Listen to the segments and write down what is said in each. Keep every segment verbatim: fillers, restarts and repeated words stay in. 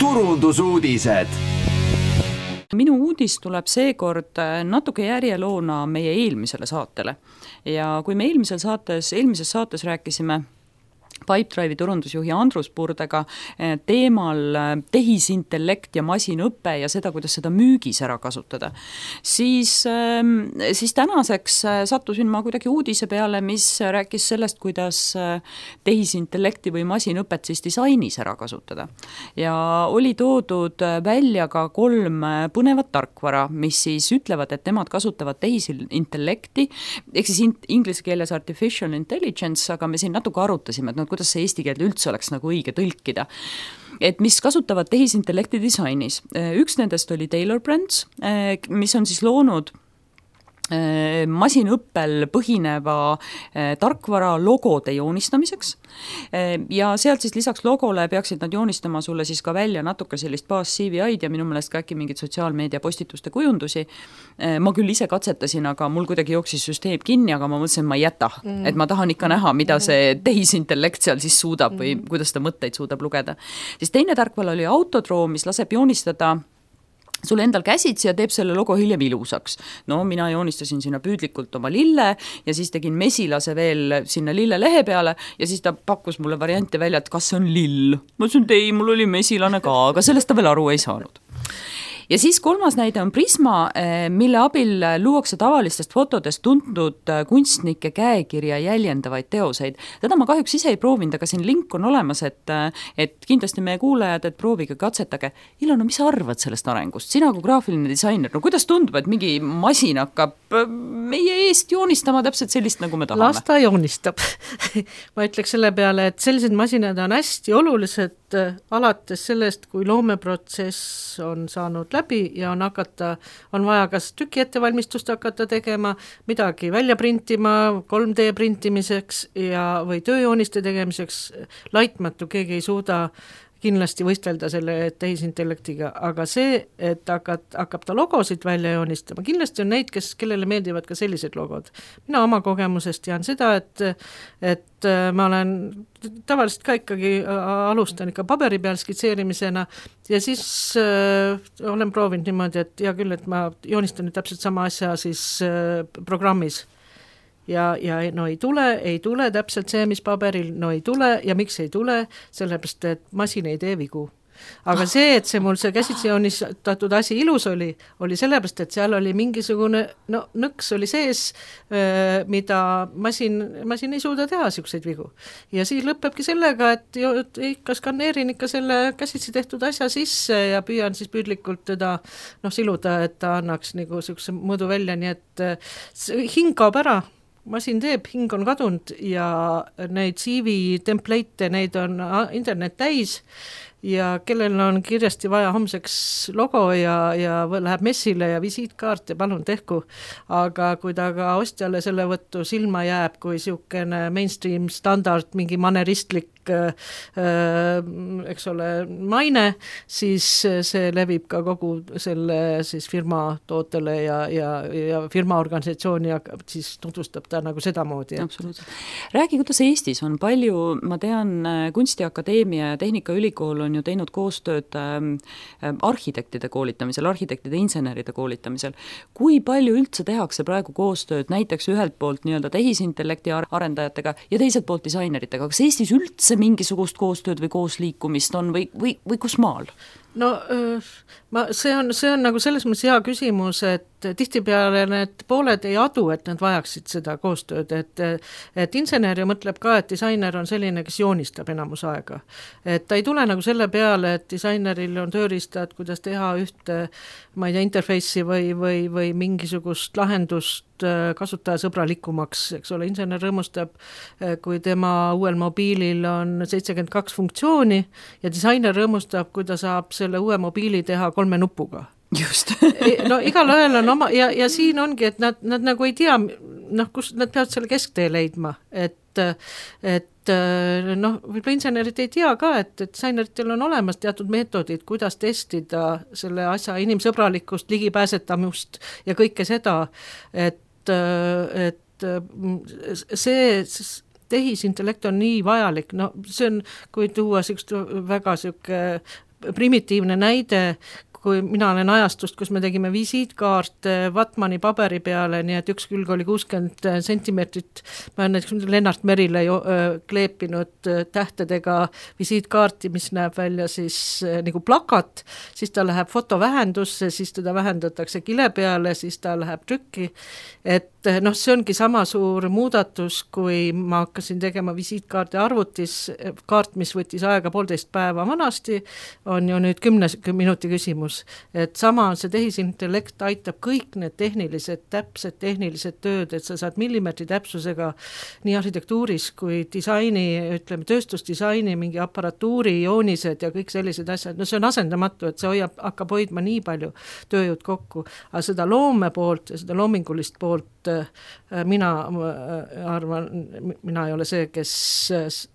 turundusuudised. Minu uudis tuleb seekord natuke järjeloona meie eelmisele saatele. Ja kui me eelmisel saates, eelmises saates rääkisime Pipedrive'i turundusjuhi Andrus Purdega teemal tehisintellekt ja masinõpe ja seda, kuidas seda müügis ära kasutada, siis, siis tänaseks sattusin ma kuidagi uudise peale, mis rääkis sellest, kuidas tehisintellekti või masinõpet siis disainis ära kasutada. Ja oli toodud välja ka kolm põnevat tarkvara, mis siis ütlevad, et nemad kasutavad tehisintellekti, ehk siis inglise keeles artificial intelligence, aga me siin natuke arutasime, et no, kuidas see eesti keelde üldse oleks nagu õige tõlkida. Et mis kasutavad tehisintellekti disainis. Üks nendest oli Taylor Brands, mis on siis loonud masinõppel põhineva tarkvara logode joonistamiseks ja sealt siis lisaks logole peaksid nad joonistama sulle siis ka välja natuke sellist baas C V I-d ja minu meelest ka äkki mingid sotsiaalmeedia postituste kujundusi. Ma küll ise katsetasin, aga mul kuidagi jooksis süsteem kinni, aga ma mõtlesin, et ma ei jäta, mm. et ma tahan ikka näha, mida see tehisintellekt seal siis suudab või mm. kuidas ta mõtteid suudab lugeda. Siis teine tarkvara oli Autodraw, mis laseb joonistada sul endal käsitsi ja teeb selle logo hiljem ilusaks. No mina joonistasin sinna püüdlikult oma lille ja siis tegin mesilase veel sinna lille lehe peale ja siis ta pakkus mulle variante välja, et kas see on lill. Ma ütlesin, et ei, mul oli mesilane ka, aga sellest ta veel aru ei saanud. Ja siis kolmas näide on Prisma, mille abil luuakse tavalistest fotodest tuntud kunstnike käekirja jäljendavaid teoseid. Teda ma kahjuks ise ei proovinud, aga siin link on olemas, et, et kindlasti meie kuulajad, et proovige, katsetage. Ilona, mis sa arvad sellest arengust? Sina kui graafiline disainer, no kuidas tundub, et mingi masin hakkab meie eest joonistama täpselt sellist, nagu me tahame? Las ta joonistab. Ma ütleks selle peale, et sellised masinad on hästi olulised alates sellest, kui loomeprotsess on saanud läbi ja on hakata, on vaja kas tüki ettevalmistust hakata tegema, midagi välja printima, kolm D printimiseks ja, või tööjooniste tegemiseks, laitmatu, keegi ei suuda kindlasti võistelda selle tehisintellektiga, aga see, et hakkab, hakkab ta logosid välja joonistama, kindlasti on neid, kes, kellele meeldivad ka sellised logod. Mina oma kogemusest tean seda, et, et ma olen tavaliselt ka ikkagi alustan ikka paberi peal skitseerimisena ja siis äh, olen proovinud niimoodi, et hea küll, et ma joonistan täpselt sama asja siis äh, programmis. Ja, ja no ei tule, ei tule täpselt see, mis paberil, no ei tule ja miks ei tule, sellepärast, et masin ei tee vigu. Aga see, et see mul see käsitsi joonistatud asi ilus oli, oli sellepärast, et seal oli mingisugune, no nõks oli sees, mida masin, masin ei suuda teha siukseid vigu. Ja siis lõpebki sellega, et jo, ikka skaneerin ikka selle käsitsi tehtud asja sisse ja püüan siis püüdlikult teda no, siluda, et ta annaks nagu siukse mõõdu välja, nii et hing kaob ära. Masin teeb, hing on kadunud ja neid C V template'e, neid on internet täis ja kellel on kiiresti vaja homseks logo ja, ja läheb messile ja visiitkaart ja palun tehku, aga kui ta ka ostjale selle võttu silma jääb, kui siukene mainstream standard, mingi maneristlik äh, eks ole, maine, siis see levib ka kogu selle siis firma tootele ja, ja, ja firma organisatsiooni ja siis tutvustab ta nagu sedamoodi. Absoluutselt. Räägi, kuidas Eestis on palju, ma tean, Kunstiakadeemia ja Tehnikaülikool on ju teinud koostööd äh, arhitektide koolitamisel, arhitektide inseneride koolitamisel. Kui palju üldse tehakse praegu koostööd näiteks ühelt poolt nii-öelda tehisintellekti arendajatega ja teiselt poolt disaineritega? Kas Eestis üldse mingisugust koostööd või koosliikumist on või, või, või kus maal? No ma, see, on, see on nagu selles mõttes hea küsimus, et tihtipeale need pooled ei adu, et nad vajaksid seda koostööd, et, et insener ju mõtleb ka, et disainer on selline, kes joonistab enamus aega. Et ta ei tule nagu selle peale, et disaineril on tööriistad, kuidas teha ühte, ma ei tea, interface'i või, või, või mingisugust lahendust kasutajasõbralikumaks, eks ole, insener rõõmustab, kui tema uuel mobiilil on seitsekümmend kaks funktsiooni ja disainer rõõmustab, kui ta saab selle uue mobiili teha kolme nupuga. Just. No igal ajal on oma, ja, ja siin ongi, et nad, nad nagu ei tea, noh, kus nad peavad selle kesktee leidma, et, et noh, võib-olla insenerid ei tea ka, et, et disaineritel on olemas teatud meetodid, kuidas testida selle asja inimsõbralikkust, ligipääsetamust ja kõike seda, et, et see tehisintellekt on nii vajalik, no see on, kui tuua siukest väga siuke primitiivne näide, kui mina olen ajastust, kus me tegime visiitkaarte Vatmani paberi peale, nii et üks külg oli kuuskümmend sentimeetrit, ma olen näiteks Lennart Merile jo, öö, kleepinud tähtedega visiitkaarti, mis näeb välja siis öö, nagu plakat, siis ta läheb fotovähendusse, siis teda vähendatakse kile peale, siis ta läheb trükki, et noh, see ongi sama suur muudatus, kui ma hakkasin tegema visiitkaardi arvutis, kaart, mis võttis aega poolteist päeva vanasti, on ju nüüd kümne minuti küsimus. Et sama on see tehisintellekt aitab kõik need tehnilised, täpsed tehnilised tööd, et sa saad millimeetri täpsusega nii arhitektuuris kui disaini, ütleme tööstusdisaini, mingi aparatuuri, joonised ja kõik sellised asjad, no see on asendamatu, et see hoiab, hakkab hoidma nii palju tööjõud kokku, aga seda loome poolt ja seda loomingulist poolt mina arvan, mina ei ole see, kes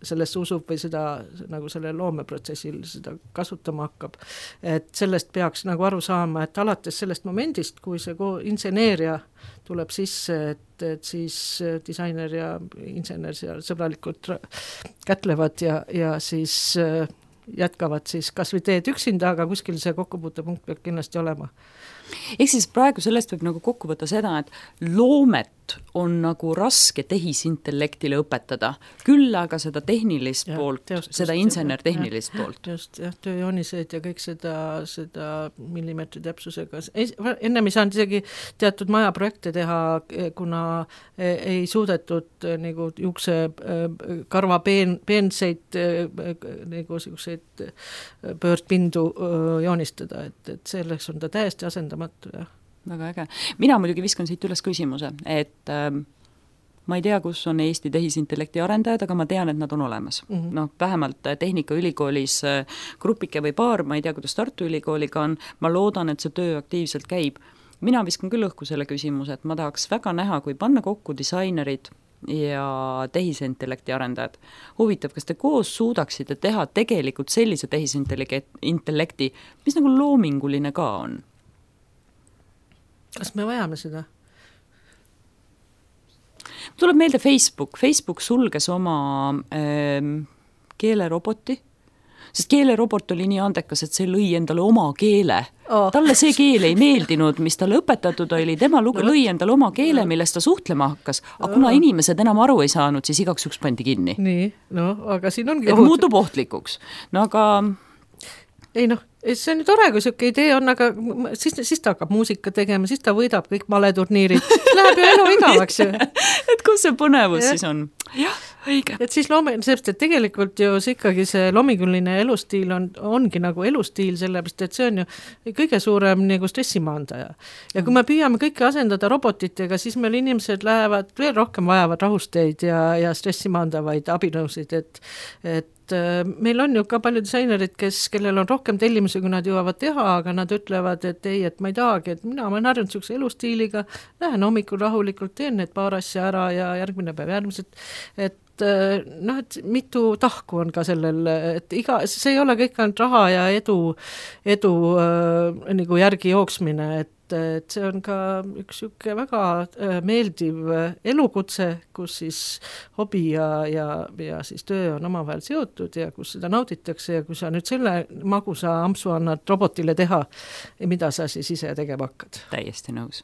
sellesse usub või seda nagu selle loomeprotsessil seda kasutama hakkab, et sellest peaks nagu aru saama, et alates sellest momendist, kui see inseneeria tuleb sisse, et, et siis disainer ja insener seal sõbralikult kätlevad ja, ja siis jätkavad siis kas või teed üksinda, aga kuskil see kokkupuutepunkt peab kindlasti olema. Ehk siis praegu sellest võib nagu kokku võtta seda, et loomet on nagu raske tehisintellektile õpetada, küll aga seda tehnilist ja, poolt, teostust, seda insener-tehnilist ja, poolt. Just, jah, tööjoonised ja kõik seda, seda millimeetri täpsusega. Ennem ei saanud isegi teatud majaprojekte teha, kuna ei suudetud nagu juukse karva peen, peenseid nagu selliseid pöördpindu joonistada, et, et selleks on ta täiesti asendamatu, jah. Väga äge. Mina muidugi viskan siit üles küsimuse, et äh, ma ei tea, kus on Eesti tehisintellekti arendajad, aga ma tean, et nad on olemas. Mm -hmm. noh, vähemalt Tehnikaülikoolis äh, grupike või paar, ma ei tea, kuidas Tartu Ülikooliga on, ma loodan, et see töö aktiivselt käib. Mina viskan küll õhku selle küsimuse, et ma tahaks väga näha, kui panna kokku disainerid ja tehisintellekti arendajad. Huvitav, kas te koos suudaksite teha tegelikult sellise tehisintellekti, mis nagu loominguline ka on? Kas me vajame seda? Tuleb meelde Facebook. Facebook sulges oma äh, keeleroboti, sest keelerobot oli nii andekas, et see lõi endale oma keele. Oh. Talle see keel ei meeldinud, mis talle õpetatud oli, tema lugu lõi endale oma keele, millest ta suhtlema hakkas, aga kuna inimesed enam aru ei saanud, siis igaks üks pandi kinni. Nii, no, aga siin ongi et ohut... muutub ohtlikuks. No aga... Ei noh, see on ju tore, kui siuke idee on, aga siis, siis ta hakkab muusika tegema, siis ta võidab kõik maleturniirid. Läheb ju elu igavaks ju. et kus see põnevus ja. Siis on? Jah, õige. Et siis loome, sest et tegelikult ju see ikkagi see loominguline elustiil on, ongi nagu elustiil, sellepärast et see on ju kõige suurem nagu stressimaandaja. Ja kui me püüame kõike asendada robotitega, siis meil inimesed lähevad veel rohkem vajavad rahusteid ja, ja stressimaandavaid abinõusid, et, et meil on ju ka palju disainerid, kes, kellel on rohkem tellimusi, kui nad jõuavad teha, aga nad ütlevad, et ei, et ma ei tahagi, et mina olen harjunud sihukese elustiiliga, lähen hommikul rahulikult, teen need paar asja ära ja järgmine päev järgmised, et noh, et mitu tahku on ka sellel, et iga, see ei ole kõik ainult raha ja edu, edu äh, nagu järgi jooksmine, et et see on ka üks siuke väga meeldiv elukutse, kus siis hobi ja, ja, ja siis töö on omavahel seotud ja kus seda nauditakse ja kui sa nüüd selle magusa ampsu annad robotile teha, mida sa siis ise tegema hakkad? Täiesti nõus.